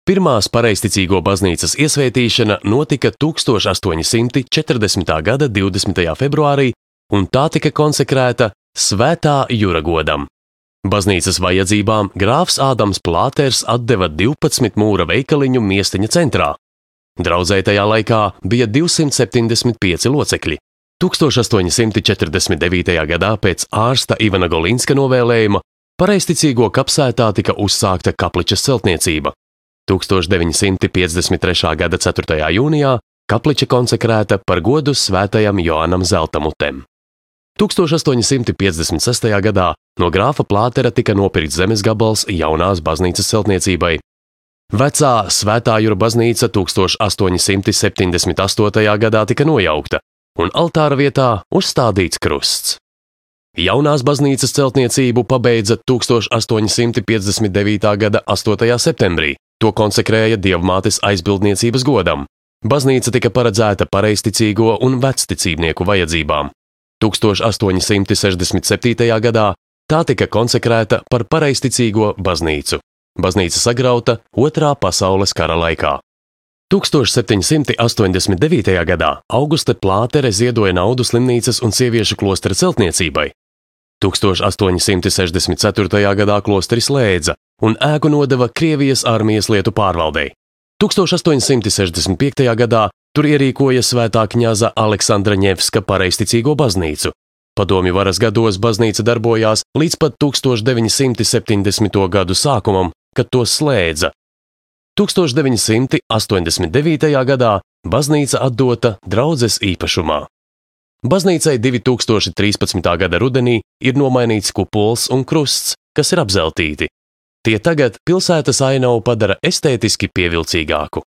Pirmās pareizticīgo baznīcas iesvētīšana notika 1840. gada 20. februārī, un tā tika konsekrēta Svētā Jura godam. Baznīcas vajadzībām grāfs Ādams Plāters atdeva 12 mūra veikaliņu Miesteņa centrā. Draudzē tajā laikā bija 275 locekļi. 1849. gadā pēc ārsta Ivana Golinska novēlējuma pareizticīgo kapsētā tika uzsākta kapličas celtniecība. 1953. gada 4. jūnijā kapliča konsekrēta par godu svētajam Joanam Zeltamutem. 1856. gadā no grāfa Plātera tika nopirkts zemes gabals jaunās baznīcas celtniecībai. Vecā Svētā Jura baznīca 1878. gadā tika nojaukta, un altāra vietā uzstādīts krusts. Jaunās baznīcas celtniecību pabeidza 1859. gada 8. septembrī. To konsekrēja Dievmātes aizbildniecības godam. Baznīca tika paredzēta pareizticīgo un vecticībnieku vajadzībām. 1867. gadā tā tika konsekrēta par pareizticīgo baznīcu. Baznīca sagrauta Otrā pasaules kara laikā. 1789. gadā Auguste Plātere ziedoja naudu slimnīcas un sieviešu klostera celtniecībai. 1864. gadā klosteri slēdza un ēku nodeva Krievijas armijas lietu pārvaldei. 1865. gadā tur ierīkoja Svētā kņaza Aleksandra Ņevska pareizticīgo baznīcu. Padomju varas gados baznīca darbojās līdz pat 1970. gadu sākumam, kad to slēdza. 1989. gadā baznīca atdota draudzes īpašumā. Baznīcai 2013. gada rudenī ir nomainīts kupols un krusts, kas ir apzeltīti. Tie tagad pilsētas ainavu padara estētiski pievilcīgāku.